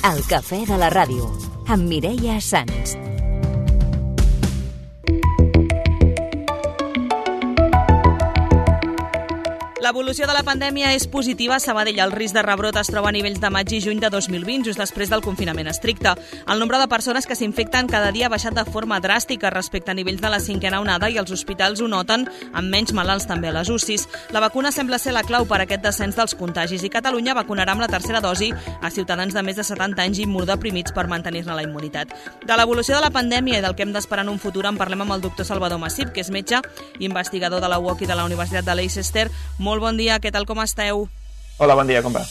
El cafè de la ràdio, amb Mireia Sans. L'evolució de la pandèmia és positiva a Sabadell. El risc de rebrot es troba a nivells de maig i juny de 2020, just després del confinament estricte. El nombre de persones que s'infecten cada dia ha baixat de forma dràstica respecte a nivells de la cinquena onada i els hospitals ho noten amb menys malalts també a les UCIs. La vacuna sembla ser la clau per a aquest descens dels contagis i Catalunya vacunarà amb la tercera dosi a ciutadans de més de 70 anys i immunodeprimits per mantenir-ne la immunitat. De l'evolució de la pandèmia i del que hem d'esperar en un futur en parlem amb el doctor Salvador Massip, que és metge i investigador de la UOC i de la Universitat de Leicester. Molt bon dia, què tal, com esteu? Hola, bon dia, com va?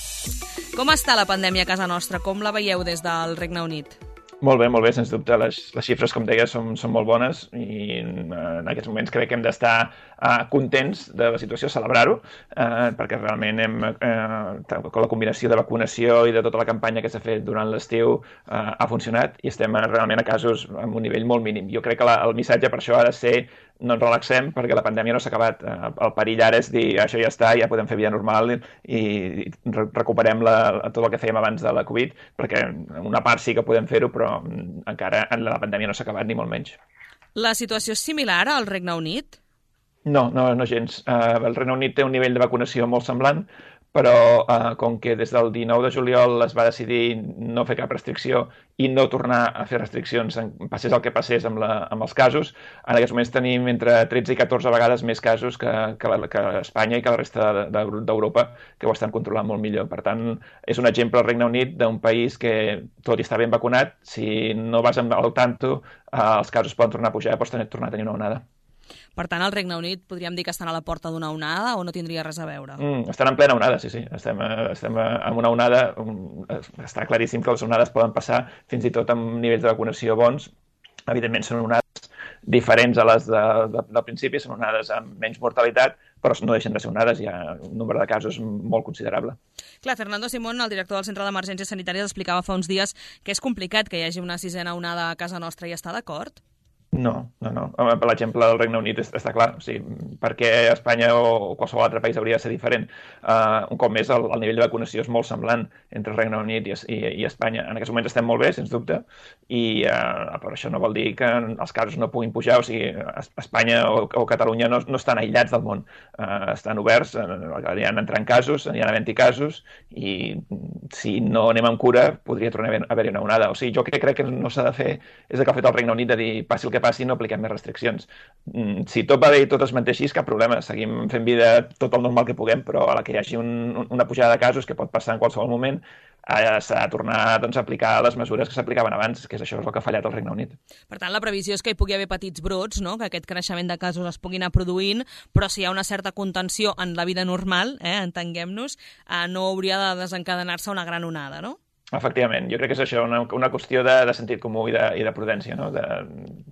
Com està la pandèmia a casa nostra? Com la veieu des del Regne Unit? Molt bé, sens dubte. Les xifres, com deia, són molt bones i en aquests moments crec que hem d'estar contents de la situació, celebrar-ho, perquè realment la combinació de vacunació i de tota la campanya que s'ha fet durant l'estiu ha funcionat i estem realment a casos amb un nivell molt mínim. Jo crec que el missatge per això ha de ser no ens relaxem perquè la pandèmia no s'ha acabat. El perill ara és dir això ja està, ja podem fer vida normal i recuperem tot el que fèiem abans de la Covid, perquè una part sí que podem fer-ho, però encara la pandèmia no s'ha acabat ni molt menys. La situació és similar al Regne Unit? No gens. El Regne Unit té un nivell de vacunació molt semblant, però com que des del 19 de juliol es va decidir no fer cap restricció i no tornar a fer restriccions, passés el que passés amb els casos, en aquests moments tenim entre 13 i 14 vegades més casos que Espanya i que la resta d'Europa, que ho estan controlant molt millor. Per tant, és un exemple al Regne Unit d'un país que tot i està ben vacunat, si no vas al tanto, els casos poden tornar a pujar i pots tornar a tenir una onada. Per tant, al Regne Unit podríem dir que estan a la porta d'una onada o no tindria res a veure? Estan en plena onada, sí. Estem en una onada. Està claríssim que les onades poden passar fins i tot amb nivells de vacunació bons. Evidentment són onades diferents a les del principi, són onades amb menys mortalitat, però no deixen de ser onades, hi ha un nombre de casos molt considerable. Clar, Fernando Simón, el director del Centre d'Emergències Sanitàries, explicava fa uns dies que és complicat que hi hagi una sisena onada a casa nostra i està d'acord? No. Per l'exemple del Regne Unit està clar. O sigui, perquè Espanya o qualsevol altre país hauria de ser diferent. Un cop més, el nivell de vacunació és molt semblant entre el Regne Unit i Espanya. En aquests moments estem molt bé, sens dubte, i però això no vol dir que els casos no puguin pujar. O sigui, Espanya o Catalunya no estan aïllats del món. Estan oberts, hi han entrant casos, hi han havent-hi casos, i si no anem amb cura podria tornar a haver-hi una onada. O sigui, jo crec que no s'ha de fer és el que ha fet el Regne Unit de dir passi el que passi, no apliquem més restriccions. Si tot va bé i tot es manté així, cap problema. Seguim fent vida tot el normal que puguem, però a la que hi hagi una pujada de casos, que pot passar en qualsevol moment, s'ha de tornar a aplicar les mesures que s'aplicaven abans, que això és el que ha fallat al Regne Unit. Per tant, la previsió és que hi pugui haver petits brots, no? Que aquest creixement de casos es pugui anar produint, però si hi ha una certa contenció en la vida normal, entenguem-nos, no hauria de desencadenar-se una gran onada, no? Efectivament, jo crec que és això, una qüestió de sentit comú i de prudència, no?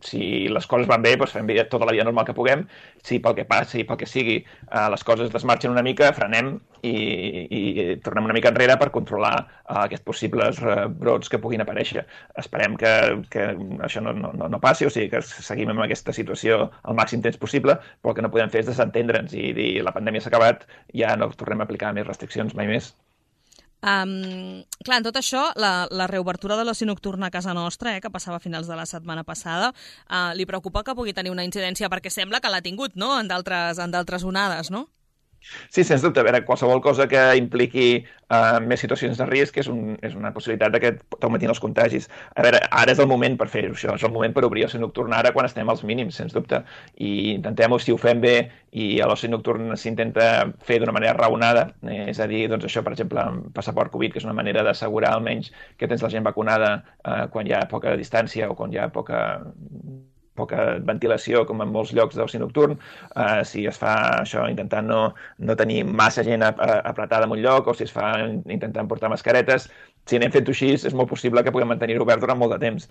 Si les coses van bé, doncs fem tota la vida normal que puguem. Si pel que passi, pel que sigui, les coses desmarxen una mica, frenem i tornem una mica enrere per controlar aquests possibles brots que puguin aparèixer. Esperem que això no passi, o sigui, que seguim amb aquesta situació el màxim temps possible, però el que no podem fer és desentendre'ns i dir la pandèmia s'ha acabat, ja no tornem a aplicar més restriccions mai més. Clar, en tot això, la reobertura de l'oci nocturn a casa nostra, que passava a finals de la setmana passada, li preocupa que pugui tenir una incidència, perquè sembla que l'ha tingut, no?, en d'altres onades, no? Sí, sens dubte. A veure, qualsevol cosa que impliqui més situacions de risc és una possibilitat que t'augmentin els contagis. A veure, ara és el moment per fer-ho, això. És el moment per obrir l'oci nocturn ara quan estem als mínims, sens dubte. I intentem-ho, si ho fem bé i l'oci nocturn s'intenta fer d'una manera raonada, és a dir, doncs això, per exemple, amb passaport Covid, que és una manera d'assegurar almenys que tens la gent vacunada quan hi ha poca distància o quan hi ha poca ventilació, com en molts llocs d'oci nocturn. Si es fa això intentant no tenir massa gent apretada en un lloc, o si es fa intentant portar mascaretes, si anem fent-ho així, és molt possible que puguem mantenir-ho obert durant molt de temps.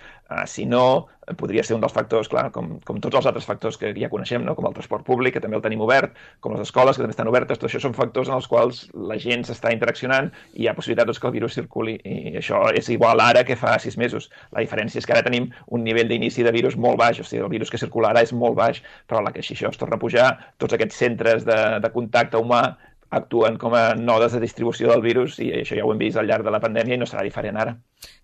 Si no, podria ser un dels factors, clar, com tots els altres factors que ja coneixem, no? Com el transport públic, que també el tenim obert, com les escoles, que també estan obertes. Tot això són factors en els quals la gent s'està interaccionant i hi ha possibilitat que el virus circuli. I això és igual ara que fa 6 mesos. La diferència és que ara tenim un nivell d'inici de virus molt baix, o sigui, el virus que circula ara és molt baix, però a la que si això es torna a pujar, tots aquests centres de contacte humà actuen com a nodes de distribució del virus i això ja ho hem vist al llarg de la pandèmia i no serà diferent ara.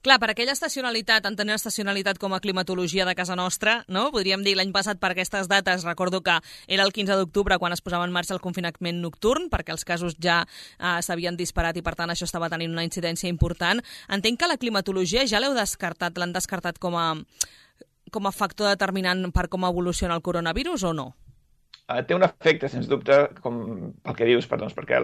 Clar, per aquella estacionalitat, entenent estacionalitat com a climatologia de casa nostra, no? Podríem dir l'any passat per aquestes dates, recordo que era el 15 d'octubre quan es posava en marxa el confinament nocturn, perquè els casos ja s'havien disparat i per tant això estava tenint una incidència important. Entenc que la climatologia ja l'han descartat com a factor determinant per com evoluciona el coronavirus o no? Té un efecte, sens dubte, com pel que dius, perquè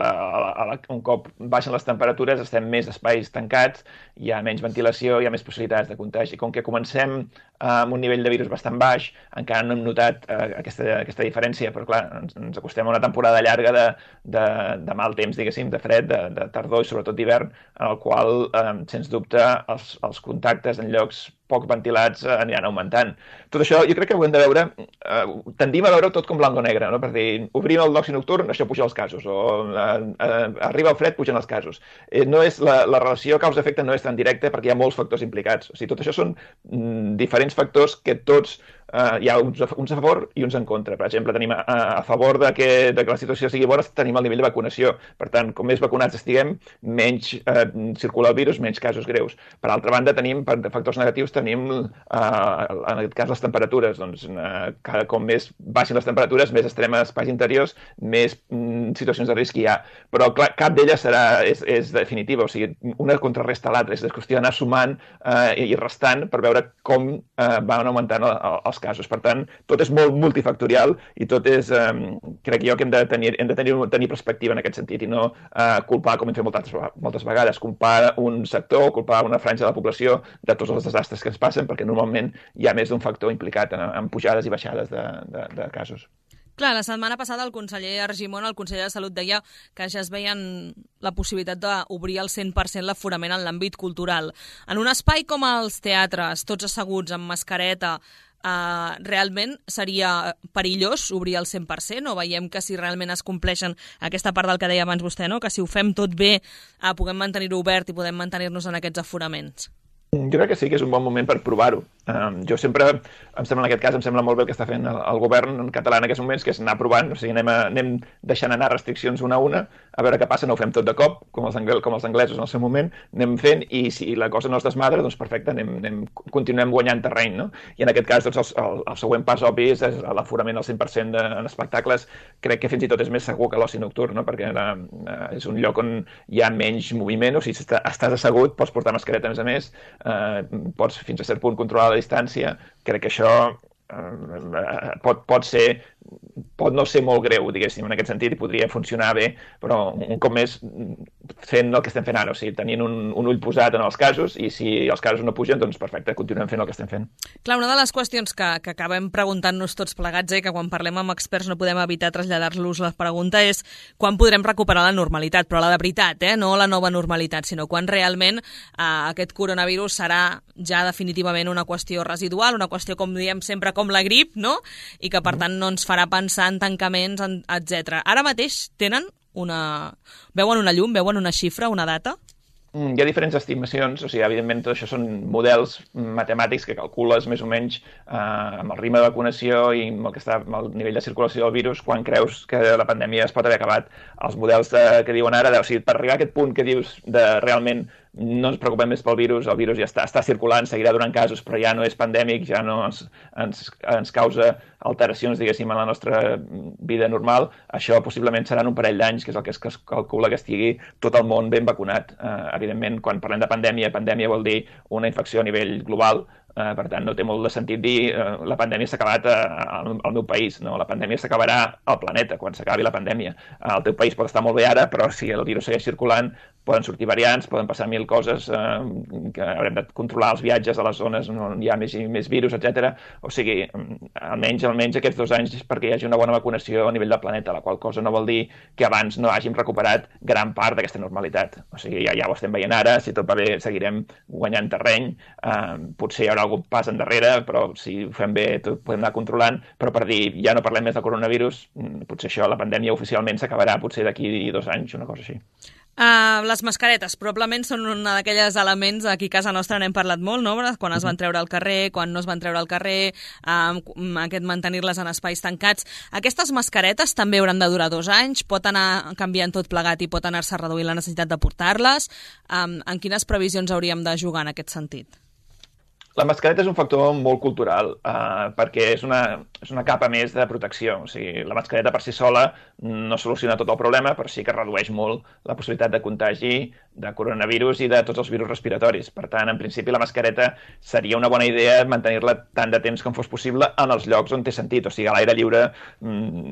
un cop baixen les temperatures estem més espais tancats, hi ha menys ventilació, hi ha més possibilitats de contagi. Com que comencem amb un nivell de virus bastant baix, encara no hem notat aquesta diferència, però clar, ens acostem a una temporada llarga de mal temps, diguéssim, de fred, de tardor i sobretot d'hivern, en el qual, sens dubte, els contactes en llocs poc ventilats aniran augmentant. Tot això jo crec que ho hem de veure, tendim a veure tot com blanc o negre, no? Per dir, obrim el d'oci nocturn, això puja els casos, o arriba el fred, pugen els casos. No és la relació causa-efecte no és tan directa perquè hi ha molts factors implicats. O sigui, tot això són diferents factors que tots hi ha uns a favor i uns en contra. Per exemple, tenim a favor de que la situació sigui bona, tenim el nivell de vacunació. Per tant, com més vacunats estiguem, menys circula el virus, menys casos greus. Per altra banda, tenim, per factors negatius, tenim, en aquest cas, les temperatures. Doncs, com més baixin les temperatures, més estarem a espais interiors, més situacions de risc hi ha. Però, clar, cap d'elles és definitiva. O sigui, una contrarresta a l'altra. És qüestió d'anar sumant i restant per veure com van augmentant els casos. Per tant, tot és molt multifactorial i tot és, crec jo que hem de tenir perspectiva en aquest sentit i no culpar, com hem fet moltes vegades, culpar un sector o culpar una franja de la població de tots els desastres que ens passen, perquè normalment hi ha més d'un factor implicat en pujades i baixades de casos. Clar, la setmana passada el conseller Argimon, el conseller de Salut, deia que ja es veien la possibilitat d'obrir al 100% l'aforament en l'àmbit cultural. En un espai com els teatres, tots asseguts amb mascareta, realment seria perillós obrir al 100%, o veiem que si realment es compleixen aquesta part del que deia abans vostè, no? Que si ho fem tot bé puguem mantenir-ho obert i podem mantenir-nos en aquests aforaments? Jo crec que sí que és un bon moment per provar-ho. Jo sempre, em sembla en aquest cas, em sembla molt bé el que està fent el govern català en aquests moments, que és anar provant, o sigui, anem deixant anar restriccions una a una, a veure què passa, no ho fem tot de cop, com els anglesos en el seu moment, anem fent, i si la cosa no es desmadra, doncs perfecte, continuem guanyant terreny, no? I en aquest cas, doncs, el següent pas obvi és l'aforament al 100% en espectacles. Crec que fins i tot és més segur que l'oci nocturn, no? Perquè és un lloc on hi ha menys moviment, o sigui, si estàs assegut, pots portar mascareta a més, pots fins a cert punt controlar la distància. Crec que això pot no ser molt greu, diguéssim, en aquest sentit, i podria funcionar bé, però un cop més fent el que estem fent ara, o sigui, tenint un ull posat en els casos, i si els casos no pugen, doncs perfecte, continuem fent el que estem fent. Clar, una de les qüestions que acabem preguntant-nos tots plegats, que quan parlem amb experts no podem evitar traslladar-los la pregunta, és quan podrem recuperar la normalitat, però la de veritat, no la nova normalitat, sinó quan realment aquest coronavirus serà ja definitivament una qüestió residual, una qüestió, com diem sempre, com la grip, no? I que per tant no ens farà pensar en tancaments, etc. Ara mateix veuen una llum, veuen una xifra, una data? Hi ha diferents estimacions, o sigui, evidentment tot això són models matemàtics que calcules més o menys amb el ritme de vacunació i amb el nivell de circulació del virus quan creus que la pandèmia es pot haver acabat. Els models que diuen ara, o sigui, per arribar a aquest punt que dius de realment no ens preocupem més pel virus, el virus ja està circulant, seguirà donant casos, però ja no és pandèmic, ja no ens causa alteracions, diguéssim, en la nostra vida normal. Això possiblement seran un parell d'anys, que és el que es calcula que estigui tot el món ben vacunat. Evidentment, quan parlem de pandèmia vol dir una infecció a nivell global. Per tant, no té molt de sentit dir la pandèmia s'ha acabat al meu país. No, la pandèmia s'acabarà al planeta quan s'acabi la pandèmia. El teu país pot estar molt bé ara, però si el virus segueix circulant, poden sortir variants, poden passar mil coses, que haurem de controlar els viatges a les zones on hi ha més virus, etc. O sigui, almenys aquests 2 anys perquè hi hagi una bona vacunació a nivell del planeta, la qual cosa no vol dir que abans no hàgim recuperat gran part d'aquesta normalitat. O sigui, ja ho estem veient ara, si tot va bé seguirem guanyant terreny, potser hi haurà algun pas endarrere, però si ho fem bé tot podem anar controlant, però per dir ja no parlem més del coronavirus, potser això, la pandèmia oficialment s'acabarà potser d'aquí 2 anys, una cosa així. Les mascaretes probablement són un d'aquells elements aquí a casa nostra n'hem parlat molt, no? Quan es van treure al carrer, quan no es van treure al carrer, aquest mantenir-les en espais tancats. Aquestes mascaretes també hauran de durar 2 anys, pot anar canviant tot plegat i pot anar-se reduint la necessitat de portar-les. En quines previsions hauríem de jugar en aquest sentit? La mascareta és un factor molt cultural, perquè és una capa més de protecció. O sigui, la mascareta per si sola no soluciona tot el problema, però sí que redueix molt la possibilitat de contagi de coronavirus i de tots els virus respiratoris. Per tant, en principi, la mascareta seria una bona idea mantenir-la tant de temps com fos possible en els llocs on té sentit. O sigui, a l'aire lliure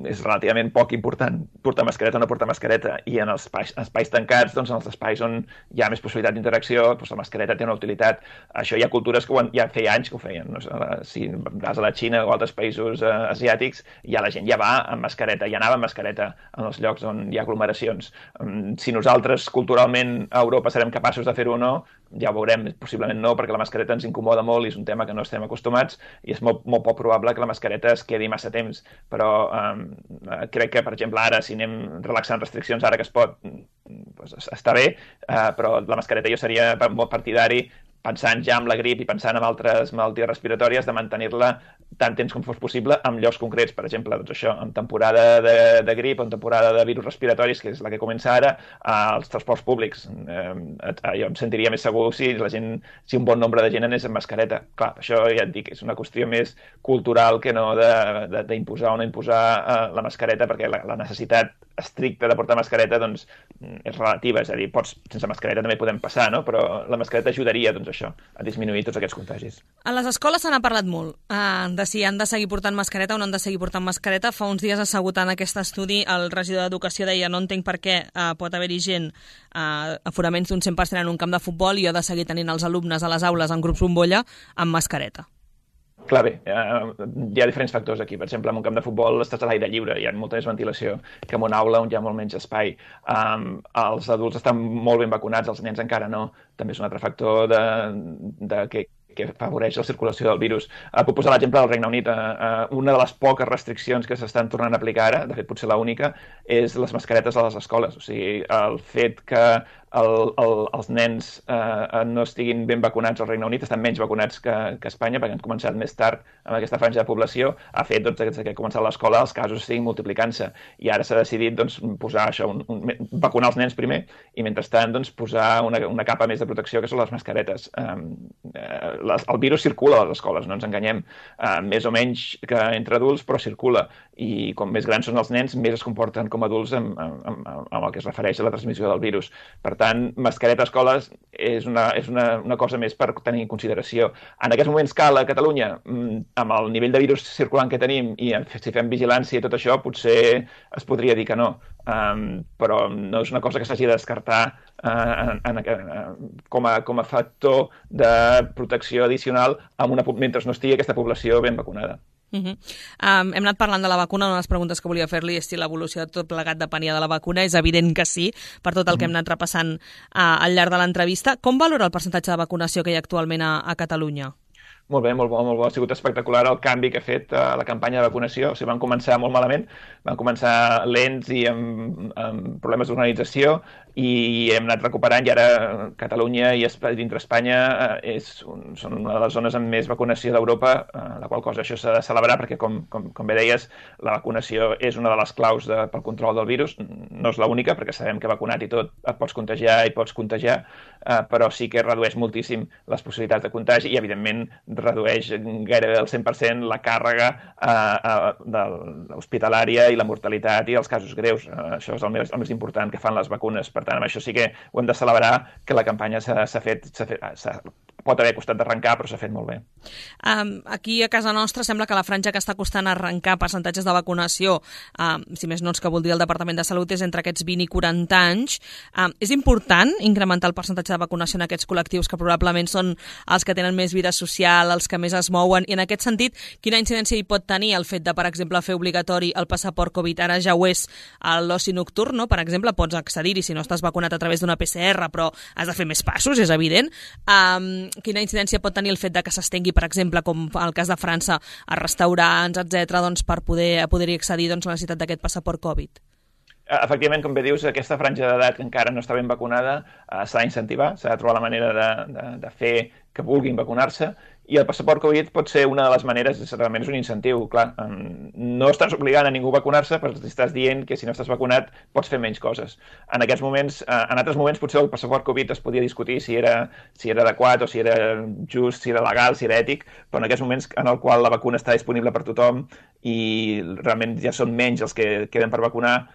és relativament poc important portar mascareta o no portar mascareta. I en els espais tancats, doncs, en els espais on hi ha més possibilitat d'interacció, doncs la mascareta té una utilitat. Això hi ha cultures que ja feia anys que ho feien. No? Si vas a la Xina o altres països asiàtics, ja la gent ja va amb mascareta, ja anava amb mascareta en els llocs on hi ha aglomeracions. Si nosaltres culturalment a Europa serem capaços de fer-ho o no, ja ho veurem, possiblement no, perquè la mascareta ens incomoda molt i és un tema que no estem acostumats i és molt poc probable que la mascareta es quedi massa temps. Però crec que, per exemple, ara, si anem relaxant restriccions, ara que es pot, doncs està bé, però la mascareta jo seria molt partidari, pensant ja en la grip i pensant en altres malalties respiratòries, de mantenir-la tant temps com fos possible en llocs concrets. Per exemple, doncs això, en temporada de grip o en temporada de virus respiratoris, que és la que comença ara, als transports públics. Jo em sentiria més segur si un bon nombre de gent anés amb mascareta. Clar, això ja et dic, és una qüestió més cultural que no d'imposar o no imposar la mascareta, perquè la necessitat estricta de portar mascareta doncs, és relativa, és a dir, sense mascareta també podem passar, no? Però la mascareta ajudaria doncs, això, a disminuir tots aquests contagis. A les escoles se n'ha parlat molt de si han de seguir portant mascareta o no han de seguir portant mascareta. Fa uns dies assegut en aquest estudi el regidor d'Educació deia no entenc per què pot haver-hi gent aforaments d'un 100% en un camp de futbol i jo he de seguir tenint els alumnes a les aules en grups bombolla amb mascareta. Clar, bé, hi ha diferents factors aquí. Per exemple, en un camp de futbol estàs a l'aire lliure, hi ha molta més ventilació que en una aula on hi ha molt menys espai. Els adults estan molt ben vacunats, els nens encara no. També és un altre factor que afavoreix la circulació del virus. Puc posar l'exemple del Regne Unit. Una de les poques restriccions que s'estan tornant a aplicar ara, de fet potser l'única, és les mascaretes a les escoles. O sigui, el fet que els nens no estiguin ben vacunats al Regne Unit, estan menys vacunats que Espanya, perquè han començat més tard amb aquesta franja de població, ha fet doncs, que ha començat l'escola els casos estiguin multiplicant-se. I ara s'ha decidit doncs, posar això, vacunar els nens primer, i mentrestant doncs, posar una capa més de protecció, que són les mascaretes. El virus circula a les escoles, no ens enganyem, més o menys que entre adults, però circula. I com més grans són els nens, més es comporten com adults amb el que es refereix a la transmissió del virus. Per tant, mascareta a escoles és una cosa més per tenir en consideració. En aquests moments cal a Catalunya, amb el nivell de virus circulant que tenim i si fem vigilància i tot això, potser es podria dir que no. Però no és una cosa que s'hagi de descartar com a factor de protecció addicional mentre no estigui aquesta població ben vacunada. Hem anat parlant de la vacuna. Una de les preguntes que volia fer-li és si l'evolució de tot plegat depenia de la vacuna. És evident que sí, per tot el que hem anat repassant al llarg de l'entrevista. Com valora el percentatge de vacunació que hi ha actualment a Catalunya? Molt bé, molt bo. Ha sigut espectacular el canvi que ha fet la campanya de vacunació. O sigui, van començar molt malament, van començar lents i amb problemes d'organització i hem anat recuperant i ara Catalunya i dintre Espanya són una de les zones amb més vacunació d'Europa, la qual cosa això s'ha de celebrar perquè, com bé deies, la vacunació és una de les claus pel control del virus. No és l'única, perquè sabem que vacunat i tot et pots contagiar i pots contagiar, però sí que redueix moltíssim les possibilitats de contagi i, evidentment, redueix gairebé al 100% la càrrega hospitalària i la mortalitat i els casos greus. Això és el més important que fan les vacunes. Per tant, amb això sí que ho hem de celebrar, que la campanya pot haver costat d'arrencar, però s'ha fet molt bé. Aquí a casa nostra sembla que la franja que està costant arrencar percentatges de vacunació, si més no és que vol dir el Departament de Salut, és entre aquests 20 i 40 anys. És important incrementar el percentatge de vacunació en aquests col·lectius que probablement són els que tenen més vida social, els que més es mouen, i en aquest sentit, quina incidència hi pot tenir el fet de, per exemple, fer obligatori el passaport Covid? Ara ja ho és a l'oci nocturn, no? Per exemple, pots accedir-hi si no estàs vacunat a través d'una PCR, però has de fer més passos, és evident. Quina incidència pot tenir el fet de que s'estengui, per exemple, com el cas de França, a restaurants, etc., doncs, per poder-hi accedir, doncs, la necessitat d'aquest passaport Covid? efectivament, com bé dius, aquesta franja d'edat que encara no està ben vacunada s'ha d'incentivar, s'ha de trobar la manera de fer que vulguin vacunar-se, i el passaport Covid pot ser una de les maneres, realment és un incentiu, clar. No estàs obligant a ningú a vacunar-se, però estàs dient que si no estàs vacunat pots fer menys coses. En aquests moments, en altres moments potser el passaport Covid es podia discutir si era adequat o si era just, si era legal, si era ètic, però en aquests moments en el qual la vacuna està disponible per tothom i realment ja són menys els que queden per vacunar,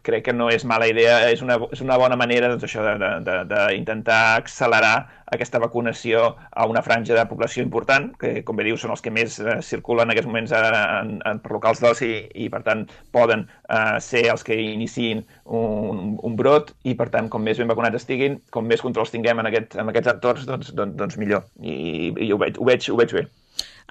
crec que no és mala idea, és una bona manera d'intentar accelerar aquesta vacunació a una franja de població important, que com bé dius són els que més circulen en aquests moments per locals d'oci i per tant poden ser els que iniciïn un brot i per tant com més ben vacunats estiguin, com més controls tinguem en aquests entorns, doncs millor. I ho veig bé.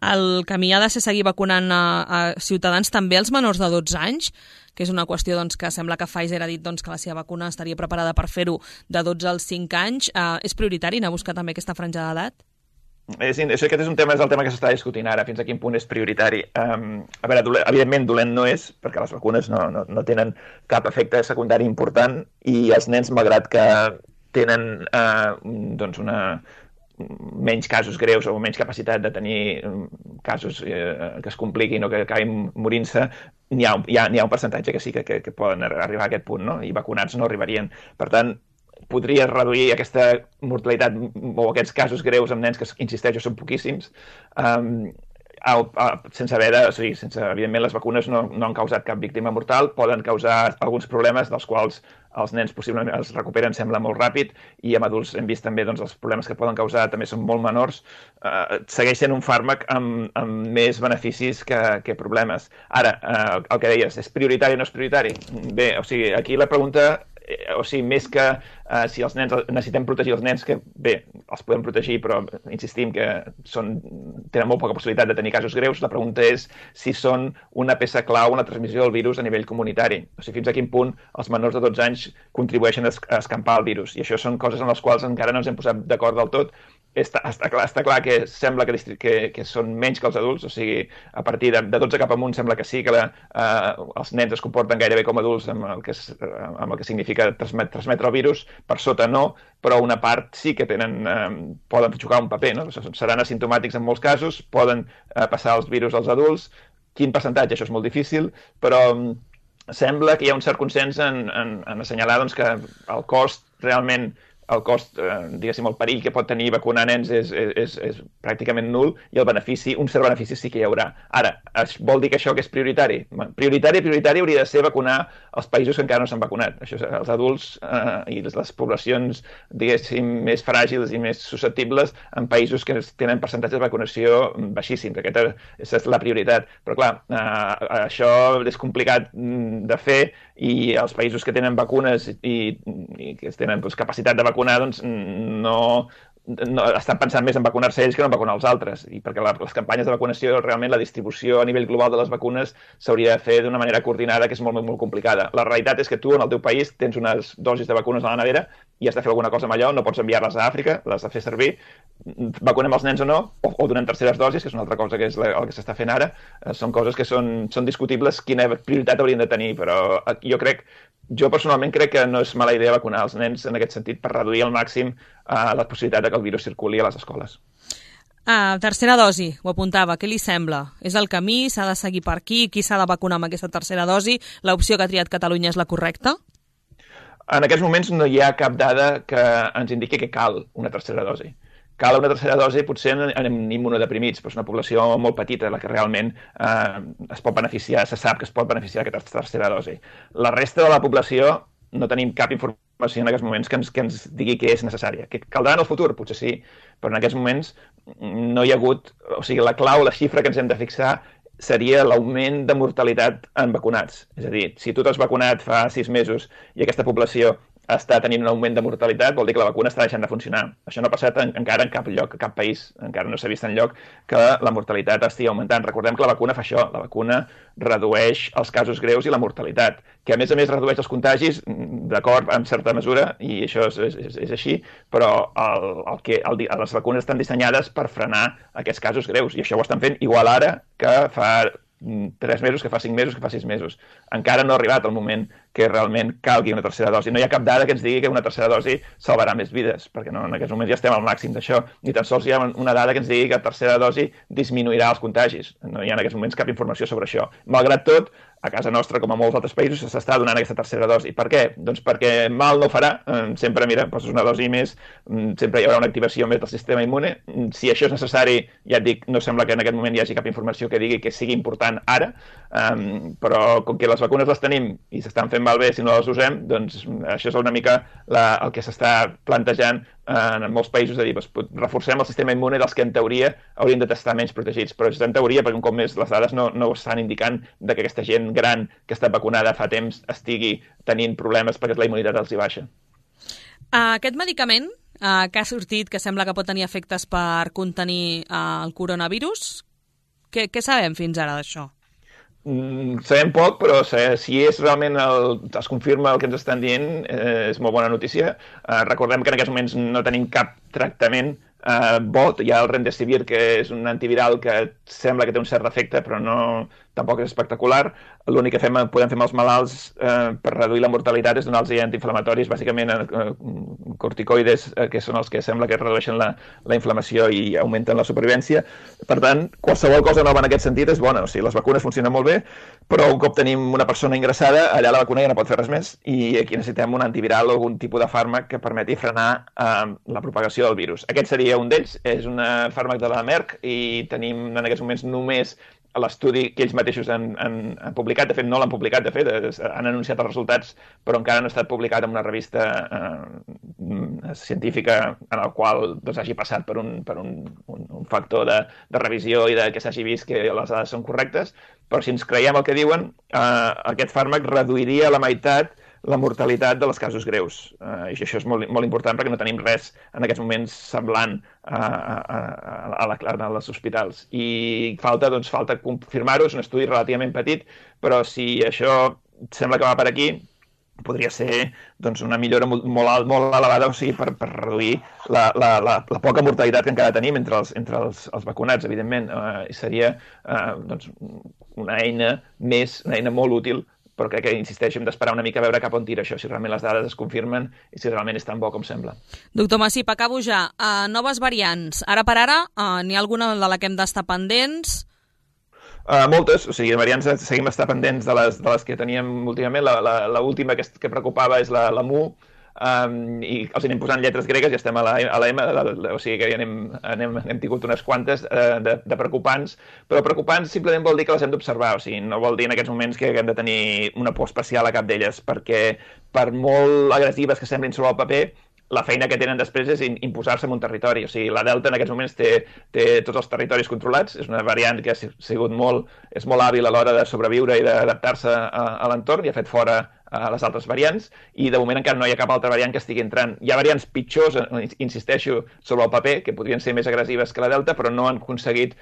El camí ha de ser seguir vacunant a ciutadans, també als menors de 12 anys, que és una qüestió que sembla que Pfizer ha dit que la seva vacuna estaria preparada per fer-ho de 12 als 5 anys. És prioritari anar a buscar també aquesta franja d'edat? Aquest és el tema que s'està discutint ara, fins a quin punt és prioritari. A veure, evidentment dolent no és, perquè les vacunes no tenen cap efecte secundari important i els nens, malgrat que tenen menys casos greus o menys capacitat de tenir casos que es compliquin o que acabin morint-se, n'hi ha un percentatge que sí que poden arribar a aquest punt, no? I vacunats no arribarien. Per tant, podria reduir aquesta mortalitat o aquests casos greus amb nens que, insisteixo, són poquíssims, sense evidentment les vacunes no han causat cap víctima mortal, poden causar alguns problemes dels quals els nens possiblement es recuperen, sembla, molt ràpid, i amb adults hem vist també els problemes que poden causar també són molt menors. Segueix sent un fàrmac amb més beneficis que problemes. Ara, el que deies, és prioritari o no és prioritari? Bé, aquí la pregunta, més que si els nens necessitem protegir els nens, que bé, els podem protegir, però insistim que tenen molt poca possibilitat de tenir casos greus, la pregunta és si són una peça clau en la transmissió del virus a nivell comunitari. Fins a quin punt els menors de 12 anys contribueixen a escampar el virus. I això són coses en les quals encara no ens hem posat d'acord del tot. Està clar que sembla que són menys que els adults, a partir de 12 cap amunt sembla que sí, que els nens es comporten gairebé com adults amb el que significa transmetre el virus, per sota no, però una part sí que poden jugar un paper, no? Seran asimptomàtics en molts casos, poden passar els virus als adults. Quin percentatge? Això és molt difícil, però sembla que hi ha un cert consens en assenyalar que el cost realment, diguéssim, el perill que pot tenir vacunar nens és pràcticament nul i el benefici, un cert benefici sí que hi haurà. Ara, vol dir que això que és prioritari? Prioritari hauria de ser vacunar els països que encara no s'han vacunat. Això, els adults i les poblacions, diguéssim, més fràgils i més susceptibles en països que tenen percentatges de vacunació baixíssims. Aquesta és la prioritat. Però, clar, això és complicat de fer i els països que tenen vacunes i que tenen capacitat de vacunar no estan pensant més en vacunar-se ells que no en vacunar els altres, i perquè les campanyes de vacunació, realment la distribució a nivell global de les vacunes s'hauria de fer d'una manera coordinada, que és molt, molt complicada. La realitat és que tu en el teu país tens unes dosis de vacunes a la nevera i has de fer alguna cosa amb allò, no pots enviar-les a Àfrica, les de fer servir, vacunem els nens o no, o donem terceres dosis, que és una altra cosa que és el que s'està fent ara. Són coses que són discutibles quina prioritat haurien de tenir, però jo personalment crec que no és mala idea vacunar els nens en aquest sentit per reduir al màxim la possibilitat que el virus circuli a les escoles. Tercera dosi, ho apuntava, què li sembla? És el camí? S'ha de seguir per aquí? Qui s'ha de vacunar amb aquesta tercera dosi? L'opció que ha triat Catalunya és la correcta? En aquests moments no hi ha cap dada que ens indiqui que cal una tercera dosi. Cal una tercera dosi potser en immunodeprimits, però és una població molt petita la que realment es pot beneficiar, se sap que es pot beneficiar d'aquesta tercera dosi. La resta de la població no tenim cap informació en aquests moments que ens digui que és necessària. Que caldrà en el futur? Potser sí, però en aquests moments no hi ha hagut... la clau, la xifra que ens hem de fixar seria l'augment de mortalitat en vacunats. És a dir, si tu t'has vacunat fa 6 mesos i aquesta població està tenint un augment de mortalitat, vol dir que la vacuna està deixant de funcionar. Això no ha passat encara en cap lloc, a cap país, encara no s'ha vist enlloc que la mortalitat estigui augmentant. Recordem que la vacuna fa això, la vacuna redueix els casos greus i la mortalitat, que a més redueix els contagis, d'acord, en certa mesura, i això és així, però les vacunes estan dissenyades per frenar aquests casos greus, i això ho estan fent igual ara que fa 3 mesos, que fa 5 mesos, que fa 6 mesos. Encara no ha arribat el moment que realment calgui una tercera dosi. No hi ha cap dada que ens digui que una tercera dosi salvarà més vides, perquè no, en aquests moments ja estem al màxim d'això. Ni tan sols hi ha una dada que ens digui que la tercera dosi disminuirà els contagis. No hi ha en aquests moments cap informació sobre això. Malgrat tot, a casa nostra, com a molts altres països, s'està donant aquesta tercera dosi. Per què? Doncs perquè mal no farà. Sempre, mira, poses una dosi més, sempre hi haurà una activació més del sistema immune. Si això és necessari, ja et dic, no sembla que en aquest moment hi hagi cap informació que digui que sigui important ara, però com que les vacunes les tenim i s'estan fent malbé si no les usem, doncs això és una mica el que s'està plantejant en molts països, de dir, reforcem el sistema immune dels que en teoria haurien de estar menys protegits, però és en teoria perquè un cop més les dades no estan indicant que aquesta gent gran que està vacunada fa temps estigui tenint problemes perquè la immunitat els hi baixa. Aquest medicament que ha sortit, que sembla que pot tenir efectes per contenir el coronavirus, què sabem fins ara d'això? Sabem poc, però si és realment es confirma el que ens estan dient, és molt bona notícia. Recordem que en aquests moments no tenim cap tractament bo. Hi ha el Remdesivir, que és un antiviral que sembla que té un cert efecte, però tampoc és espectacular. L'únic que podem fer amb els malalts per reduir la mortalitat és donar-los antiinflamatoris, bàsicament corticoides, que són els que sembla que redueixen la inflamació i augmenten la supervivència. Per tant, qualsevol cosa nova en aquest sentit és bona. O sigui, les vacunes funcionen molt bé, però un cop tenim una persona ingressada, allà la vacuna ja no pot fer res més i aquí necessitem un antiviral o algun tipus de fàrmac que permeti frenar la propagació del virus. Aquest seria un d'ells, és un fàrmac de la Merck i tenim en aquests moments només l'estudi que ells mateixos han publicat. De fet, no l'han publicat, han anunciat els resultats, però encara no ha estat publicat en una revista científica en el qual hagi passat per un factor de revisió i que s'hagi vist que les dades són correctes. Però si ens creiem el que diuen, aquest fàrmac reduiria a la meitat la mortalitat de les casos greus. I això és molt important perquè no tenim res en aquests moments semblant a les hospitals. I falta confirmar-ho, és un estudi relativament petit, però si això sembla que va per aquí, podria ser una millora molt elevada, o sigui, per reduir la poca mortalitat que encara tenim entre els vacunats, evidentment. Seria una eina molt útil, però crec que, insisteixo, hem d'esperar una mica a veure cap on tira això, si realment les dades es confirmen i si realment és tan bo com sembla. Doctor Massip, acabo ja. Noves variants. Ara per ara, n'hi ha alguna de la que hem d'estar pendents? Moltes, o sigui, variants seguim estar pendents de les que teníem últimament. L'última que preocupava és la Mu, i els anem posant lletres gregues i estem a la M, o sigui que ja hem tingut unes quantes de preocupants, però preocupants simplement vol dir que les hem d'observar, o sigui, no vol dir en aquests moments que haguem de tenir una por especial a cap d'elles, perquè per molt agressives que semblin sobre el paper, la feina que tenen després és imposar-se en un territori. O sigui, la Delta en aquests moments té tots els territoris controlats, és una variant que és molt hàbil a l'hora de sobreviure i d'adaptar-se a l'entorn i ha fet fora a les altres variants, i de moment encara no hi ha cap altra variant que estigui entrant. Hi ha variants pitjors, insisteixo, sobre el paper, que podrien ser més agressives que la Delta, però no han aconseguit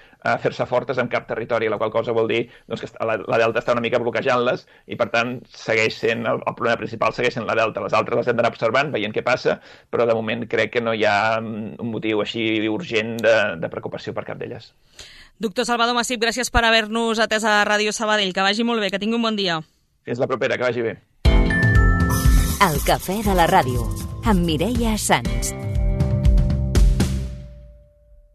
fer-se fortes en cap territori, la qual cosa vol dir que la Delta està una mica bloquejant-les, i per tant segueix sent el problema principal, segueix sent la Delta. Les altres les hem d'anar observant, veient què passa, però de moment crec que no hi ha un motiu així urgent de preocupació per cap d'elles. Doctor Salvador Massip, gràcies per haver-nos atès a Ràdio Sabadell. Que vagi molt bé, que tingui un bon dia. Fins la propera, que vagi bé. El cafè de la ràdio, amb Mireia Sans.